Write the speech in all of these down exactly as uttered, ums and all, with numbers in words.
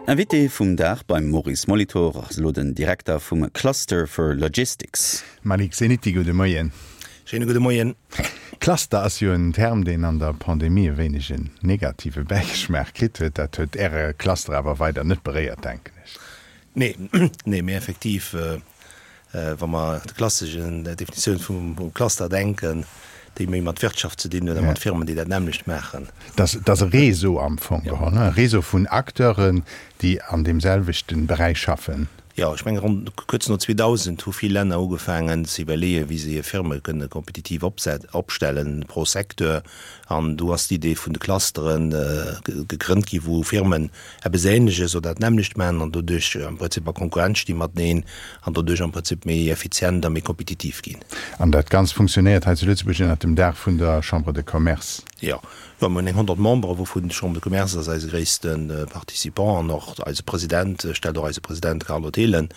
Invité vum Dag beim Maurice Molitor ass elo den Direkter vum Cluster for Logistics. Malik Zeniti, gudde Moien. Schéine gudde Moien. Cluster ass jo en Term, deen an der Pandemie e wéineg en negative Bäigeschmaach kritt huet. Dat huet Äre Cluster awer weider net beréiert, denken ech. Nee, nee, mee effektiv, wa mer de klasseschen Definitioun vum Cluster denken, déi méi mat Wirtschaft ze dinn huet a mat Firmen, déi dat nämmlecht maachen. Dat ass e Réseau am Fong geholl, e Réseau vun Acteuren, déi an deem selwechte Beräich schaffen. Jo, ech menge ronn kuerz no zweedausend hu vill Länner ugefaangen ze iwwerleeën, wéi se hir Firme kënne kompetitiv opstellen pro Secteur. An do ass d'Idee vun de Clustere gegrënnt gi wou Firmen eppes Ähnleches oder dat nämmlecht maachen an doduerch am Prinzip a Konkurrenz sti mateneen an doduerch am Prinzip méi effizient a méi kompetitiv ginn. An dat Ganzt funktionéiert hei zu Lëtzebuerg ënnert dem Daach vun der Chambre de Commerce. Jo, jo, mir hunn eng honnert Membere, wouvun d'Chambre de Commerce ass eise gréisste Participant an och eise President, stellt och eise President Carlo Thelen.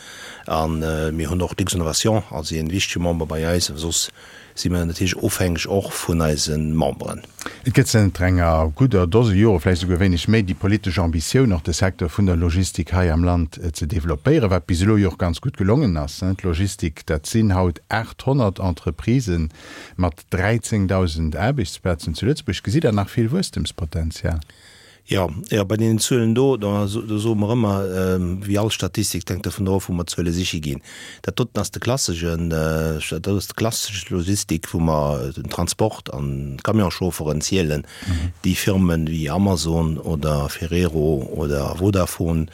A mir hunn och d'Luxinnovation als ee wichtege Member bei eis. Soss si mir natierlech ofhängeg och vun eise Memberen. Et gëtt zënter enger gudder Dose Jore, vläicht esouguer wéineg méi, déi politesch Ambitioun, och de Secteur vun der Logistik hei am Land ze developpéieren, wat bis elo jo och ganz gutt gelongen ass. D'Logistik, dat sinn haut aathonnert Entreprisen mat dräizéngdausend Aarbechtsplazen zu Lëtzebuerg. Gesitt Der nach vill Wuesstemspotenzial? Jo, jo, bei deenen Zuelen do, do soe mer ëmmer, wéi all Statistik, et hänkt dovun of, wou mer d'Zuele siche ginn. Dat doten ass de klasseschen, dat ass d'klassesch Logistik, wou mer den Transport an d'Camionschaufferen zielen. Déi Firmen wéi Amazon oder Ferrero oder Vodafone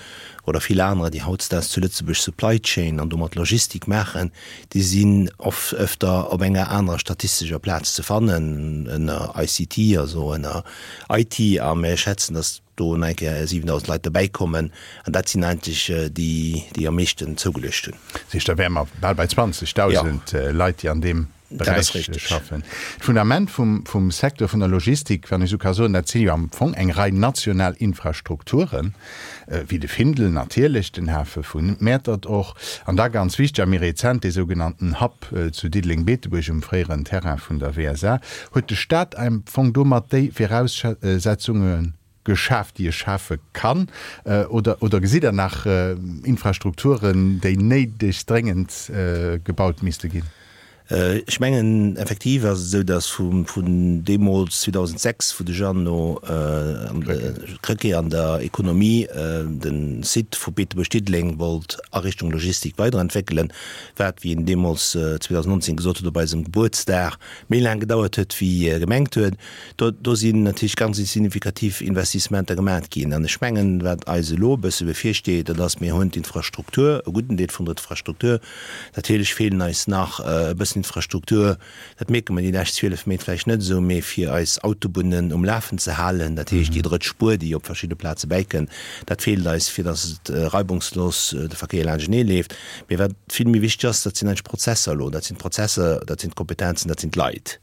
oder vill anerer, déi hautdesdaags zu Lëtzebuerg Supply Chain an domat Logistik maachen, déi sinn oft öfter op enger anerer statistescher Plaz ze fannen, ënner I C T, also ënner I T, a mir schätzen, dass do nach eng Kéier siwendausend Leit dobäikommen, an dat sinn eigentlech déi, déi am meeschten zougeluecht hunn. Dat heescht, da wäre mer bal bei zwanzegdausend Leit, déi an deem Dat ass Beräich richteg. schaffen. D'Fundament vum, vum Secteur vun der Logistik, wann ech esou ka soen, dat si jo am Fong eng Rei national Infrastrukturen, wéi de Findel natierlech, den Hafe vu Mäertert och, an da ganz wichteg a méi rezent dee sougenannten Hub zu Diddeleng-Beetebuerg um fréieren Terrain vun der W S A. Huet de Staat am Fong domat déi Viraussetzunge geschaf, déi e schafe kann, oder, oder gesitt Der nach Infrastrukturen, déi néideg dréngend gebaut misste ginn? Ech mengen, effektiv ass et esou, datt vun deemools zweedausendsechs, wou de Jeannot Krecké an der Ekonomie de Site vu Beetebuerg-Diddeleng wollt a Richtung Logistik weiderentwéckelen, wat, wéi en deemools zweedausendnonzéng gesot huet op eisem Gebuertsdag, méi laang gedauert huet, wéi e gemengt huet, do do sinn natierlech ganz signifikativ Investissementer gemat ginn. An ech mengen, wat eis elo e bësse bevirsteet, dat ass, mir hunn d'Infrastruktur, e gudden Deel vun der Infrastruktur, Natierlech feelen eis nach e bëssen Infrastruktur, dat mierke mer déi lescht zwielef Méint vläicht net esou, mee fir eis Autobunnen um Lafen ze halen, dat heescht déi drëtt Spuer, déi op verschidde Plaze bäikënn, dat feelt eis, fir datt et reibungslos de Verkéier laanschtenee leeft. Mee wat vill méi wichteg ass, dat sinn eigentlech d'Prozesser elo, dat sinn d'Prozesser, dat sinn d'Kompetenzen, dat sinn d'Leit.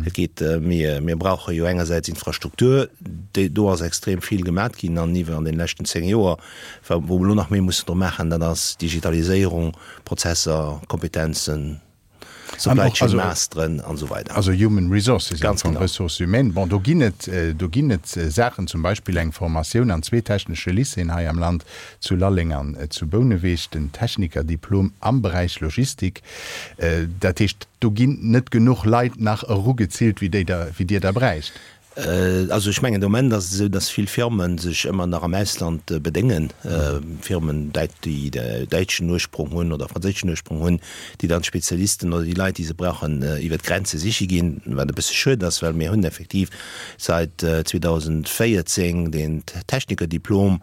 Et geet, mir, mir brauche jo engersäits Infrastruktur, déi, do ass extrem vill gemat ginn an iwwer an deene leschten zéng Joer, wou mer elo nach méi mussen dru maachen, dat ass Digitaliséierung, Prozesser, Kompetenzen, Supply Chain masteren an esou weider. Also Human Resources, Ganz genau. Ressources humaines. Bon, do ginn et, do ginn et Saachen, zum Beispill eng Formatioun an zwee technesche Lycéeën hei am Land, zu Lalleng an zu Bouneweg, den Technikerdiplom am Beräich Logistik. Dat heescht, do ginn net genuch Leit nach erugezillt, wéi déi der, wéi Dir der bräicht. Also ech mengen, de Moment ass et esou, datt vill Firme sech ëmmer nach am Ausland bedéngen, Firmen, déi däitschen Ursprong hunn oder franséischen Ursprong hunn, déi dann d'Spezialisten oder déi Leit, déi se brauchen, iwwert d'Grenze siche ginn, wat e bësse schued ass, well mir hunn effektiv säit zweedausendvéierzéng deen Technikerdiplom,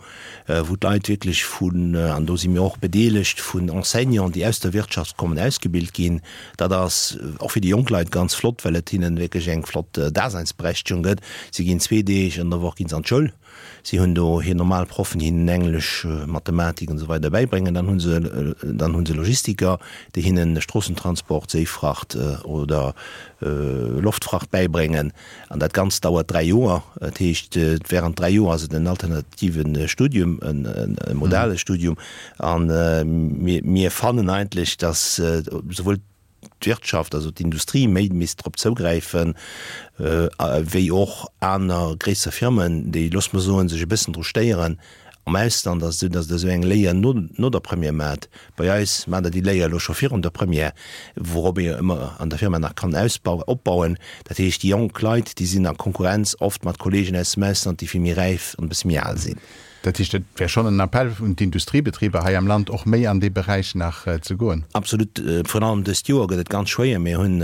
wou d'Leit wierklech vun, an do si mir och bedeelegt, vun Enseignanten, déi aus der Wirtschaft kommen, ausgebilt ginn. Dat ass och fir déi jonk Leit ganz flott, well et hinnen wierklech eng flott Daseinsberechtigung gëtt. Si ginn zwee Deeg an der Woch ginn se an d'Schoul. Si hunn do hir normal Proffen, déi hinnen Englesch, Mathematik an esou weider bäibréngen. Dann hu se, dann hu se Logistiker, déi hinnen Stroossentransport, Séifracht oder Loftfracht bäibréngen. An dat Ganzt dauert dräi Joer. Dat heescht, während dräi Joer ass et en alternative Studium, e modale Studium. A mir, mir fannen eigentlech, datt souwuel d'Wirtschaft, also d'Industrie méi misst drop zougräifen, wéi och aner gréisser Firmen, déi, loosse mer soen, sech e bëssen dru stéieren, Am Ausland ass et esou, datt Der esou eng Léier no, no der Première maacht. Bei eis maacht Der déi Léier elo scho virun der Première, wourop ee jo ëmmer an der Firma nach kann ausbauen, opbauen. Dat heescht, déi jonk Leit, déi sinn a Konkurrenz oft mat Kollegen aus dem Ausland, déi vill méi räif an e bësse méi al sinn. Dat heescht, et wär schonn en Appell un d'Industriebetriber hei am Land, och méi an dee Beräich nach ze goen. Absolut. Virun allem dëst Joer gëtt et ganz schwéier. Mir hunn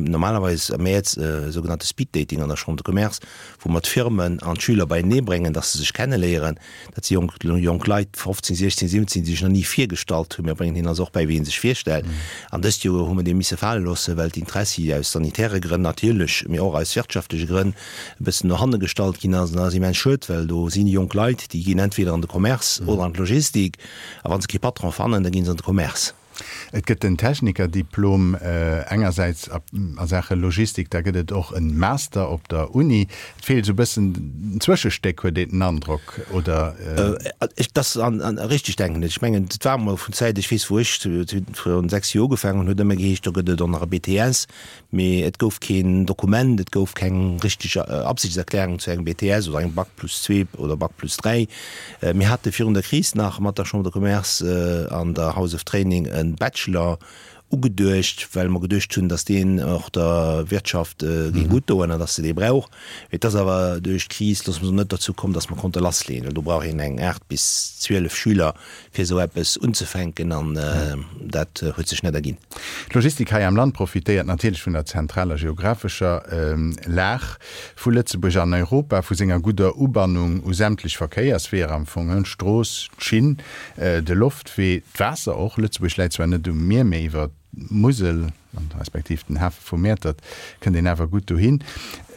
normalerweis am Mäerz e sougenannte Speed-Dating an der Chambre de Commerce, wou mer d'Firmen an d'Schüler beienee bréngen, dass se sech kenneléieren. Dat si jonk, jonk Leit, fofzéng, siechzéng, siwwenzéng, déi sech nach ni virgestallt hunn. Mir bréngen hinnen also och bäi, wéi ee sech virstellt. An dëst Joer hu mer dee misse fale loossen, well d'Intressi aus sanitäre Grënn natierlech, mee och aus wirtschaftleche Grënn e bëssen no hanne gestallt ginn ass. An dat ass immens schued, well do si jonk Leit, déi ginn entweder an de Commerce oder an d'Logistik. A wa se kee Patron fannen, da gi se an de Commerce. Et gëtt den Technikerdiplom engersäits a Saache Logistik, da gëtt et och e Master op der Uni. Et feelt esou e bëssen en Zwëschestéck, huet een den Androck, oder? Dat ass richteg, denken ech. Ech mengen, et war emol vun Zäit, ech weess, wou ech virun sechs Joer ugefaangen hunn, huet ëmmer geheescht, do gëtt et och nach e B T S. Mee et gouf keen Dokument, et gouf keng richteg Absichtserklärung zu engem B T S oder engem Bac plus zwee oder Bac plus dräi. Mir hate virun der Kris nach mat der Chambre de Commerce an der House of Training e Bachelor ugeduecht, well mer geduecht hunn, datt deen och der Wirtschaft géing gutt doen an datt se dee brauch. Et ass awer duerch d'Kris, loosse mer soen, net derzou komm, datt mer konnte lassleeën, well do brauch een eng aacht bis zwielef Schüler, fir esou eppes unzefänken an dat huet sech net erginn. D'Logistik hei am Land profitéiert natierlech vun der zentraler geographescher Lag vu Lëtzebuerg an Europa, vu senger gudder Ubannung u sämtlech Verkéiersweeër am Fong, d'Strooss, d'Schinn, de Loftwee, d'Waasser och. Lëtzebuerg läit zwar net um Mier, mee iwwer d'Musel respektiv den Hafe vu Mäertert kënnt een awer gutt dohin.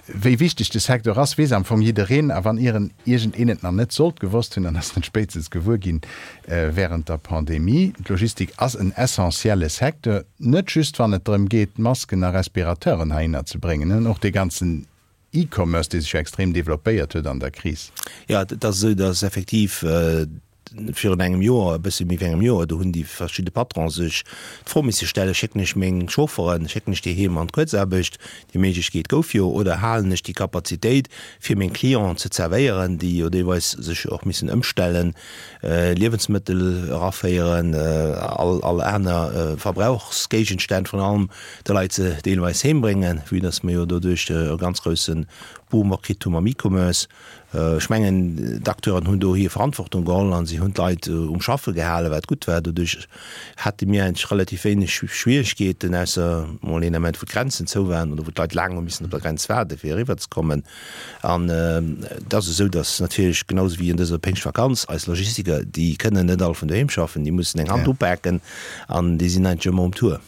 Wéi wichteg de Secteur ass, weess am Fong jiddereen. A wann ieren iergendeen et nach net sollt gewosst hunn, dann ass en et spéitstens gewuer ginn wärend der Pandemie. D'Logistik ass en essentielle Secteur, net just wann et drëm geet, Masken a Respirateuren heihinner ze bréngen, och dee ganzen E-Commerce, dee sech jo extrem developpéiert huet an der Kris. Jo, et ass esou, datt effektiv virun engem Joer, e bësse méi wéi engem Joer, do hunn déi verschidde Patronen sech d'Fro misse stellen, Schécken ech meng Chaufferen, schécken ech déi heem an d'Kuerzaarbecht, déi Méiglechkeet gouf jo, oder halen ech déi Kapazitéit, fir meng Clienten ze zerwéieren, déi jo deelweis sech och missen ëmstellen, Liewensmëttel eraféieren, all all aner Verbrauchsgéigenstänn vrun allem de Leit se deelweis heembréngen, vue dass mer jo doduerch e ganz grousse Boom och kritt hu mam E-Commerce. Ech mengen, d'Acteuren hunn do hir Verantwortung geholl a si hunn d'Leit um Schaffe gehalen, wat gutt war. Doduerch hate mir eigentlech relativ wéineg Schwieregkeeten, ausser mol een Ament, wou d'Grenzen zou waren oder wou d'Leit laang hu missen op der Grenz waarden, fir eriwwerzekommen. An et ass esou, datt natierlech, genau esou wéi an dëser Péngschtvakanz, eis Logistiker, déi kënnen net all vun doheem schaffen, déi mussen eng Hand upaken an déi sinn eigentlech ëmmer um Tour.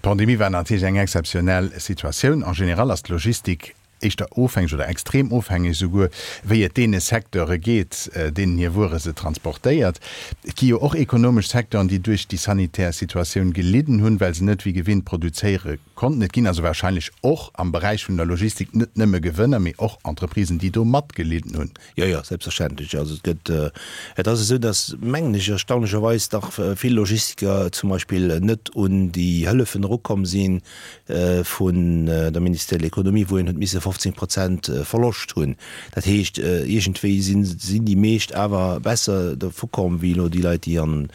D'Pandemie war natierlech eng exzeptionell Situatioun. En général ass d'Logistik éischter ofhängeg oder extrem ofhängeg esouguer, wéi et deene Secteure geet, deenen hir Wuere se transportéiert. Et gi jo och ekonomesch Secteuren, déi duerch déi sanitär Situatioun gelidden hunn, well se net wéi gewinnt produzéiere konnten. Et ginn also wahrscheinlech och am Beräich vun der Logistik net nëmme Gewënner, mee och Entreprisen, déi do matgelidden hunn. Jo, jo, selbstverständlech. Also et gëtt, et ass esou, datt, mengen ech, erstaunlecherweis dach vill Logistiker zum Beispill net un déi Hëllefen erukomm sinn vun der Ministère de l'Économie, wou een huet misse fofzéng Prozent Verloscht hunn. Dat heescht, iergendwéi sinn sinn déi meescht awer besser dervu komm wéi elo déi Leit, déi an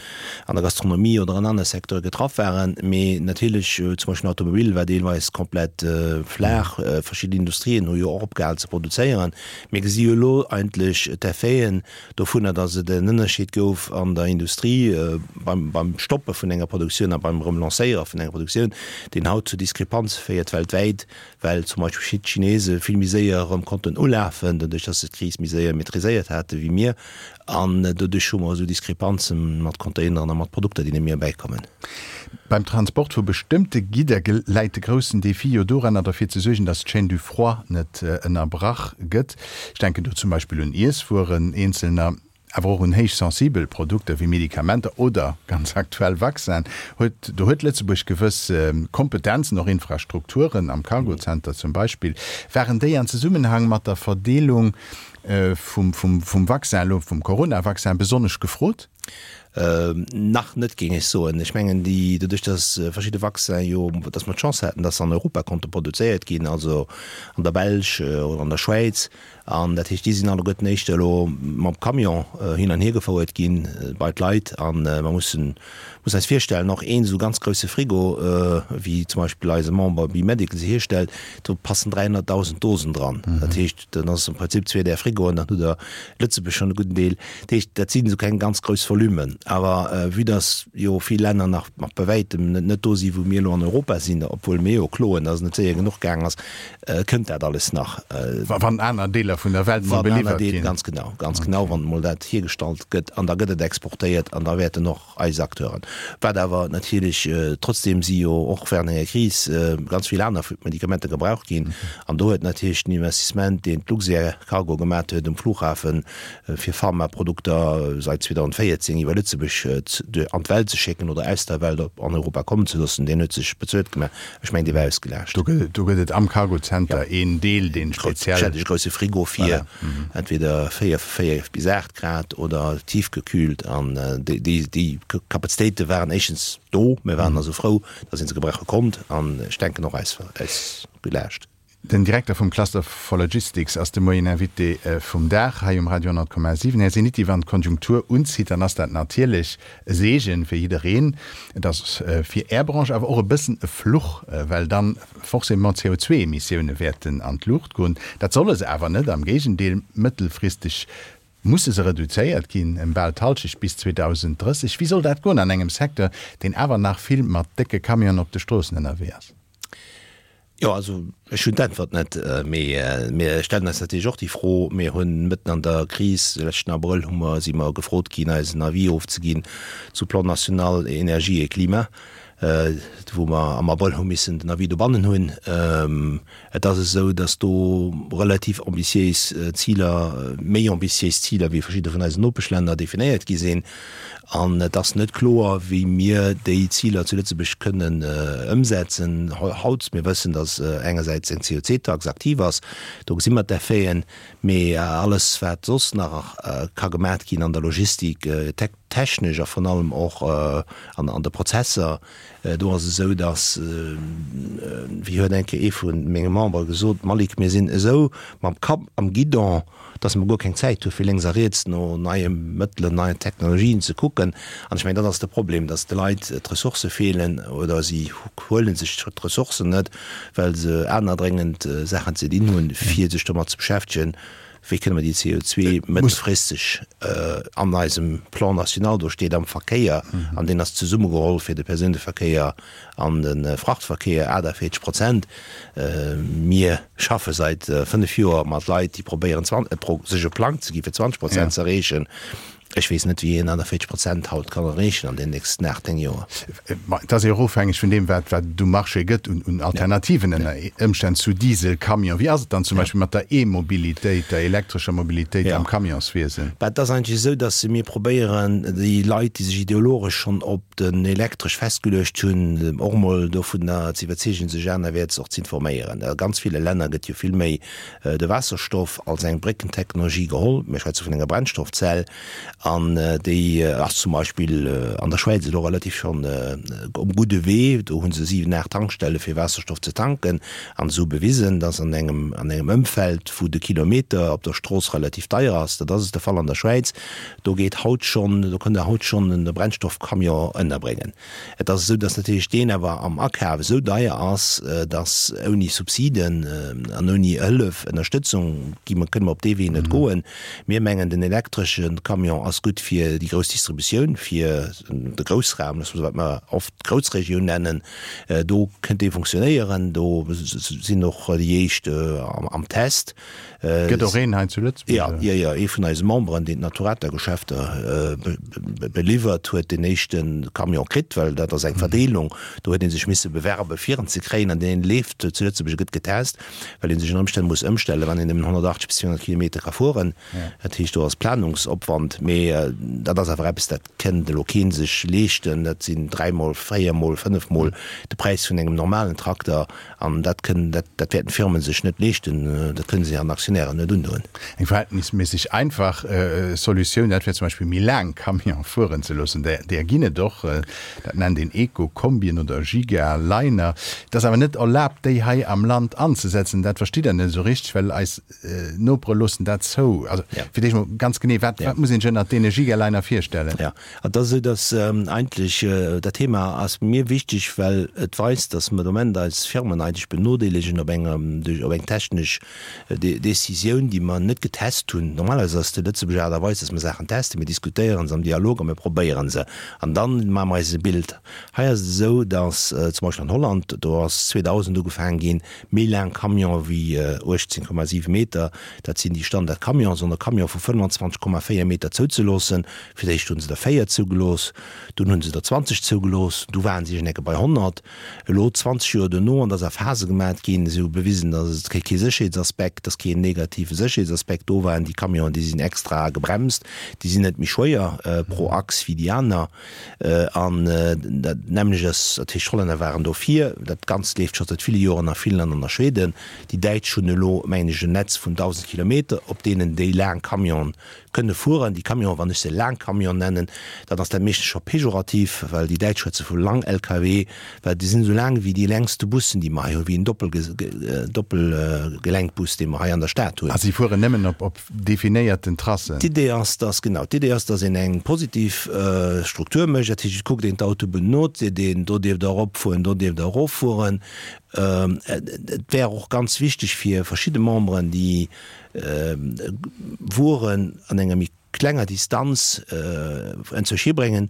an der Gastronomie oder an anere Secteure getraff waren. Mee natierlech, zum Beispill den Automobil war deelweis komplett flaach. Verschidden Industrien hu jo och opgehal ze produzéieren. Mir gesi jo elo eigentlech d'Effeten dovunner, datt et en Ënnerscheed gouf an der Industrie beim beim Stoppe vun enger Produktioun a beim erëm Lancéiere vun enger Produktioun, deen haut zu Diskrepanze féiert weltwäit, well zum Beispill d'Chinese vill méi séier erëm konnten ulafen, doduerch datt se d'Kris méi séier maîtriséiert hate wéi mir. An doduerch hu mer esou Diskrepanze mat Containeren a mat Produkter, déi net méi erbäikommen. Beim Transport vu bestëmmte Gidder läit de groussen Defi jo doranner, derfir ze suergen, datt d'Chaîne du froid net ënnerbrach gëtt. Ech denken do zum Beispill un Iesswueren eenzelner, awer och un héich sensibel Produkter wéi Medikamenter oder, ganz aktuell, Vaccinen. Huet, do huet Lëtzebuerg gewëss Kompetenzen, och Infrastrukturen am Cargocenter zum Beispill. Waren déi an Zesummenhang mat der Verdeelung vum, vum, vum Vaccin, elo vum Coronavaccin, besonnesch gefrot? Nach net, géing ech soen. Ech mengen, déi, doduerch datt verschidde Vaccinen jo, datt mer d'Chance haten, datt se an Europa konnte produzéiert ginn, also an der Belsch oder an der Schwäiz, an dat heescht, déi sinn alleguerten éischter elo mam Camion hin an hier gefouert ginn bei d'Leit. An mer mussen, muss eis virstellen, och een esou ganz grousse Frigo, wéi zum Beispill eise Member B-Medical se hierstellt, do passen dräihonnertdausend Dosen dran. Dat heescht, dann ass am Prinzip zwee där Frigoen, dann hutt Der Lëtzebuerg schonn e gudden Deel. Dat heescht, dat sinn esou keng ganz grouss Volummen. Awer vue dass jo vill Länner nach nach bei wäitem net net do sinn, wou mir elo an Europa sinn, obwuel mir jo kloen, dass et net séier genuch gaang ass, kënnt dat alles nach. Wann aner Deeler vun der Welt mol beliwwert ginn. Ganz genau, ganz genau, wann emol dat hiergestallt gëtt an da gëtt et exportéiert an da wäerten och eis Acteuren, wat awer natierlech, trotzdem si jo och während enger Kris ganz vill aner Medikamenter gebraucht ginn an do huet natierlech den Investissement, deen d'Luxair Cargo gemat huet um Flughafen, fir Pharmaprodukter seit zweedausendvéierzéng iwwer Lëtzebuerg an d'Welt ze schécken oder aus der Welt op an Europa kommen ze loossen, deen huet sech bezuelt gemaach. Ech mengen, dee war ausgelaascht. Do gëtt et, do gëtt et am Cargo Center een Deel, deen speziell. Ech hätt e grousse Frigo fir entweder véier, véier bis aacht Grad oder tiefgekühlt an déi, déi, déi Kapazitéite waren éischtens do, mir waren also frou, datt ee se gebrauche konnt an ech denken och ausgelaascht. Den Direkter vum Cluster for Logistics ass de Moien Invité vum Dag hei um Radio honnert Komma siwen. Här Zeniti, wann d'Konjunktur unzitt, dann ass dat natierlech e Seegen fir jiddereen. Et ass fir Är Branche awer och e bëssen e Fluch, well dann forcément d'C O zwei Emissioune wäerten an d'Luucht goen. Dat solle se awer net, am Géigendeel, mëttelfristeg musse se reduzéiert ginn ëm bal d'Hallschecht bis zweedausenddrësseg. Wéi soll dat goen an engem Secteur, deen awer nach vill mat décke Camionen op de Stroossen ënnerwee ass? Jo, also ech hunn d'Äntwert net, mee mir stellen eis natierlech och déi Fro. Mir hunn mëtten an der Kris, de leschten Abrëll hu mer, si mer gefrot ginn, eisen Avis ofzeginn zu Plan national énergie et climat, wou mer am Abrëll hu missen den Avis dobannen hunn. Et ass esou, datt do relativ ambitiéis Ziler, méi ambitiéis Ziler wéi verschidde vun eisen Nopeschlänner definéiert gi sinn. An et ass net kloer, wéi mir déi Ziler zu Lëtzebuerg kënnen ëmsetzen haut. Mir wëssen, datt engersäits eng C O C Tax aktiv ass, do gesi mer d'Effeten, mee alles, wat soss nach ka gemat ginn an der Logistik, technesch a virun allem och an de Prozesser, do ass et esou, datt, wéi huet eng Kéier ee vu menge Membere gesot, Malik, mir sinn esou mam Kapp am Guidon, dass mer guer keng Zäit hu fir lénks a riets no neie Mëttelen, neien Technologien ze kucken. An ech mengen, dat ass de Problem, dass de Leit d'Ressourcë feelen oder si huele sech d'Ressourcen net, well se aner dréngend Saachen ze dinn hunn, fir sech domat ze beschäftegen, wéi kënne mer déi C O zwei mëttelfristeg an eisem Plan national, do steet am Verkéier, an deen ass zesummegeholl fir de Persouneverkéier an de Frachtverkéier, achtundvierzeg Prozent. Mir schaffe seit fënnef Joer mat Leit, déi probéieren, sech e Plang ze gi fir zwanzeg Prozent ze erreechen. Ech weess net, wéi een achtundvierzeg Prozent haut kann erreechen an den nächsten aacht, néng Joer. Ma et ass jo och ofhängeg vun deem, wat, wat et um Marché gëtt un, un Alternativen ënner Ëmstänn zu Dieselcamion. Wéi ass et dann zum Beispill mat der E-Mobilitéit, der elektrescher Mobilitéit am Camionswiesen? Bah, et ass eigentlech esou, datt mir probéieren, déi Leit, déi sech ideologesch schonn op den Elektresch festgeluecht hunn, och emol dovunner ze iwwerzeegen, sech anerwäerts och ze informéieren. A ganz ville Länner gëtt jo vill méi de Waasserstoff als eng Bréckentechnologie geholl. Mir schwätze vun enger Brennstoffzell. An déi ass zum Beispill an der Schwäiz elo relativ schonn um gudde Wee. Do hu se siwen, aacht Tankstelle fir Waasserstoff ze tanken an se hu bewisen, datt an engem, an engem Ëmfeld, wou de Kilometer op der Strooss relativ deier ass, dat ass et de Fall an der Schwäiz, do geet haut schonn, do kënnt Der haut schonn e Brennstoffcamion ënnerbréngen. Et ass esou, datt natierlech deen awer am Akaf esou deier ass, datt ouni Subsiden an ouni Hëllef, Ënnerstëtzung gi mer, kënne mer op dee Wee net goen. Mir mengen, den elektresche Camion ass gutt fir déi grouss Distributioun, fir de Groussraum, dat wat mer oft d'Groussregioun nennen, do kënnt dee funktionéieren, do sinn och déi éischt am Test. Gëtt och een hei zu Lëtzebuerg? Ja, ja, ja, ee vun eise Memberen, deen d'Naturata-Geschäfter beliwwert, huet den éischte Camion kritt, well dat ass eng Verdeelung, do huet ee sech misse bewerben, fir en ze kréien, an deen leeft zu Lëtzebuerg a gëtt getest, well ee sech ënner Ëmstänn muss ëmstellen, wann een nëmmen honnertachtzeg bis zweehonnert Kilometer ka fueren. Dat heescht, do ass Planungsopwand, mee dat ass awer eppes, dat kënnt elo kee sech leeschten. Dat sinn dräimol, véiermol, fënnefmol de Präis vun engem normalen Trakter, an dat kënnen, dat, dat wäerten d'Firmen sech net leeschten. Dat kënne se an Aktionären Concessionnaire net undoen. Eng verhältnisméisseg einfach Solutioun, dat wär zum Beispill méi laang Camione fueren ze loossen. Där ginn et och, dat nennt een Eco-Kombien oder Gigaliner. Et ass awer net erlaabt, déi hei am Land anzesetzen. Dat verstitt Der net esou richteg, well eis Nopere loossen dat zou. Also fir d'éischt mol ganz genee, wat muss een sech ënnert deene Gigaliner virstellen? Jo, et ass esou, datt eigentlech dat Thema ass mir wichteg, well et weist, datt mer de Moment eis Firmen eigentlech benodeelegen op enger, duerch op eng technesch Décisioun, déi mer net getest hunn. Normalerweis ass déi Lëtzebuerger Aart a Weis, datt mer Saachen testen, mir diskutéiere se am Dialog a mir probéiere se an da maache mer eis e Bild. Hei ass et esou, datt zum Beispill an Holland, do ass zweedausend ugefaangen ginn, méi laang Camionen wéi uechtzéng Komma siwe Meter, dat sinn déi Standard-Camionen, sondern Camione vu fënnwanzwanzeg Komma véier Meter zouzeloossen. Fir d'éischt hu se der véier zougelooss, dunn hu se der zwanzeg zougelooss, du waren se iergendecke bei honnert. Elo, zwanzeg Joer duerno, an dat ass a Phase gemat ginn, si hu bewisen, datt et kee Sécherheetsaspekt, datt keen negative Sécherheetsaspekt do war. Déi Camionen, déi sinn extra gebremst, déi sinn net méi schwéier pro Achs wéi déi aner. An dat nämmlecht ass, dat heescht, d'Hollänner waren dofir. Dat Ganzt leeft scho säit ville Joren a Finnland an a Schweden. Déi Däitsch hunn elo, mengen ech, en Netz vun dausend Kilometer, op deenen déi laang Camionen kënne fueren. Déi Camionen, wann ech se laang Camionen nennen, dann ass dat meeschtens scho pejorativ, well déi Däitsch schwätze vu Lang-L K W, well déi sinn esou laang wéi déi längste Bussen, déi mer hei hunn, wéi en Doppelgelenkbus, dee mer hei an der Stad hunn. A si fueren nëmmen op op definéierten Tracen. D'Idee ass, dass, genau, d'Idee ass, dass een eng positiv Struktur mécht. Dat heescht, et kuckt een d'Autobunn no, et seet een, do dierft Der eropfueren, do dierft Der eroffueren. Et wär och ganz wichteg fir verschidde Memberen, déi Wueren an enger méi klenger Distanz enzwousch hibréngen.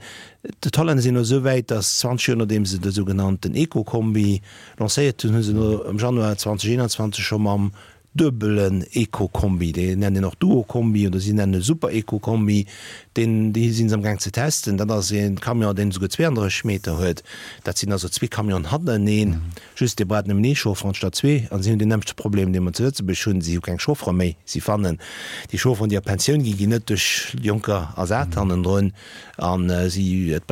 D'Hollänner sinn elo esou wäit, datt zwanzeg Joer nodeem se de sougenannten Eco-Kombi lancéiert hunn, hu se elo am Januar zweedausendeenanzwanzeg scho mam duebelen Eco-Kombi, dee nennt een och Duo-Kombi oder si nennen e Super-Eco-Kombi, deen, dee si se amgaang ze testen. Dat ass e Camion, deen esouguer zweeanddrësseg Meter huet. Dat sinn also zwee Camionen hannereneen, just dee brauch nëmmen ee Chauffer anstatt zwee. An si hunn deen nämmlechte Problem, dee mer zu Lëtzebuerg hunn, si hu keng Chauffere méi. Si fannen déi Chaufferen, déi a Pensioun ginn, ginn net duerch Jonker ersat hannendrun. A si, et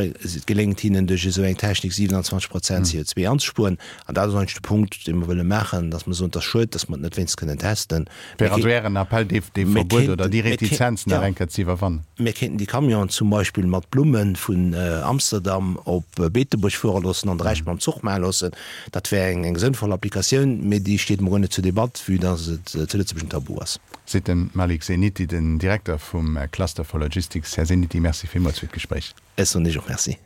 geléngt hinnen duerch esou eng Technik siewenundzwanzeg Prozent C O zwei anzespueren. An dat ass eigentlech de Punkt, dee mer wëlle maachen, dass mer soen, et ass schued, dass mer et net wéinst kënnen testen. Wär also Ären Appell, dee Verbuet oder déi Retizenz nach eng Kéier ze iwwerwannen? Mir kéinten déi Camionen zum Beispill mat Blumme vun Amsterdam op Beetebuerg fuere loossen an de Rescht mam Zuch maache loossen. Dat wär eng sënnvoll Applikatioun, mee déi steet emol guer net zur Debatt, vue dass et zu Lëtzebuerg en Tabu ass. Seet de Malik Zeniti, den Direkter vum Cluster for Logistics. Här Zeniti, Merci villmools fir d'Gespréich. Ech soen Iech och Merci.